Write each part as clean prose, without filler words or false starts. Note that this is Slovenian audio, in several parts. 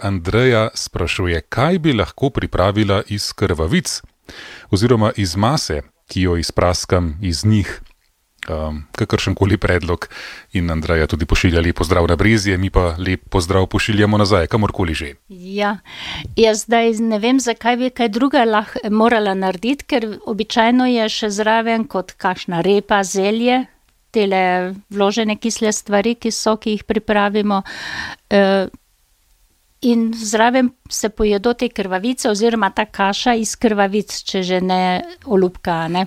Andreja sprašuje, kaj bi lahko pripravila iz krvavic oziroma iz mase, ki jo izpraskam iz njih. Kakršenkoli predlog in Andreja tudi pošilja lep pozdrav na Brezje, mi pa lep pozdrav pošiljamo nazaj, kamorkoli že. Ja, jaz zdaj ne vem, zakaj bi kaj druga morala narediti, ker običajno je še zraven kot kakšna repa, zelje, tele vložene kisle stvari, ki jih pripravimo, in zraven se pojedo te krvavice oziroma ta kaša iz krvavic, če že ne olupka, ne.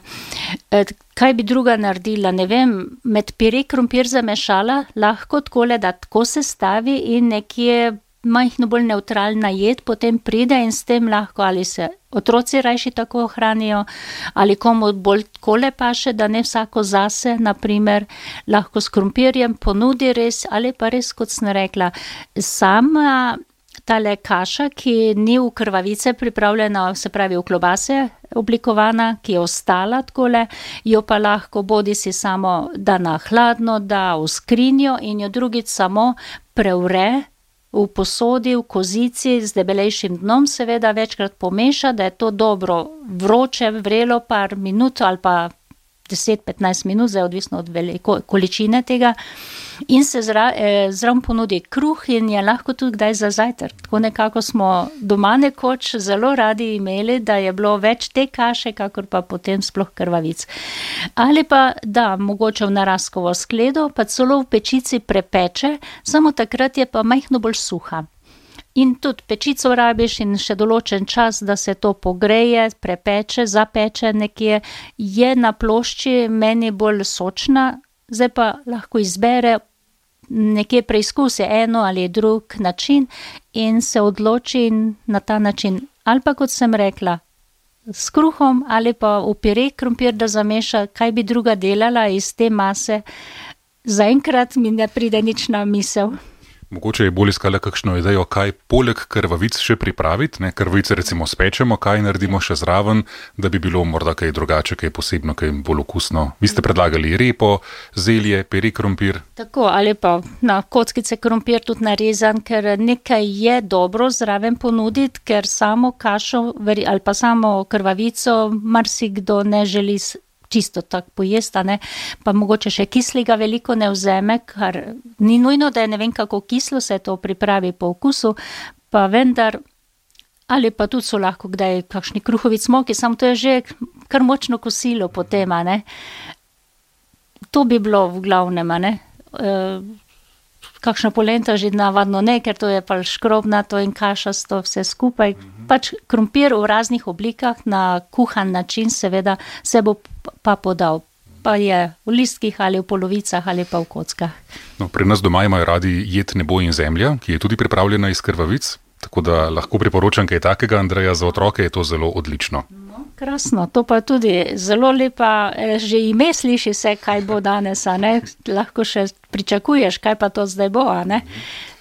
Kaj bi druga naredila, ne vem, med pire krompir zamešala, lahko takole, da tako se stavi in nekje majhno bolj nevtralna jed potem pride in s tem lahko ali se otroci rajši tako hranijo, ali komu bolj takole paše, da ne vsako zase, na primer, lahko s krompirjem ponudi res, ali pa res, kot sem rekla, sama tale kaša, ki ni v krvavice pripravljena, se pravi v klobase oblikovana, ki je ostala takole, jo pa lahko bodisi samo da na hladno, da v skrinjo in jo drugič samo prevre v posodi, v kozici z debelejšim dnom, seveda večkrat pomeša, da je to dobro vroče, vrelo par minut ali pa 10-15 minut, zdaj odvisno od količine tega, in se zraven ponudi kruh in je lahko tudi kdaj za zajtrk. Tako nekako smo doma nekoč zelo radi imeli, da je bilo več te kaše, kakor pa potem sploh krvavic. Ali pa, da, mogoče v naraskovo skledo, pa celo v pečici prepeče, samo takrat je pa majhno bolj suha. In tudi pečico rabiš in še določen čas, da se to pogreje, prepeče, zapeče nekje, je na plošči meni bolj sočna, zdaj pa lahko izbere, nekje preizkusi eno ali drug način in se odloči na ta način. Ali pa, kot sem rekla, s kruhom ali pa v pire krompir, da zameša, kaj bi druga delala iz te mase. Zaenkrat mi ne pride nič na misel. Mogoče je bolj iskala kakšno idejo, kaj poleg krvavic še pripraviti, ne? Krvavice recimo spečemo, kaj naredimo še zraven, da bi bilo morda kaj drugače, kaj posebno, kaj bolj okusno. Vi ste predlagali repo, zelje, pire krompir. Tako, ali pa na kockice krompir tudi narezan, ker nekaj je dobro zraven ponuditi, ker samo kašo ali pa samo krvavico marsikdo ne želi čisto tako pojesti, ne, pa mogoče še kislega veliko ne vzeme, kar ni nujno, da je ne vem kako kislo, se to pripravi po okusu, pa vendar, ali pa tudi so lahko kdaj kakšni kruhovi cmoki, samo to je že kar močno kosilo potem, ne. To bi bilo v glavnem, ne. Kakšna polenta že navadno ne, ker to je pa škrobnato in kašasto vse skupaj. Pač krompir v raznih oblikah na kuhan način seveda se bo pa podal. Pa je v listkih ali v polovicah ali pa v kockah. No, pri nas doma imajo radi jed Nebo in zemlja, ki je tudi pripravljena iz krvavic, tako da lahko priporočam kaj takega, Andreja, za otroke je to zelo odlično. No, krasno, to pa tudi zelo lepa, že ime sliši se, kaj bo danes, a ne, lahko še pričakuješ, kaj pa to zdaj bo, a ne.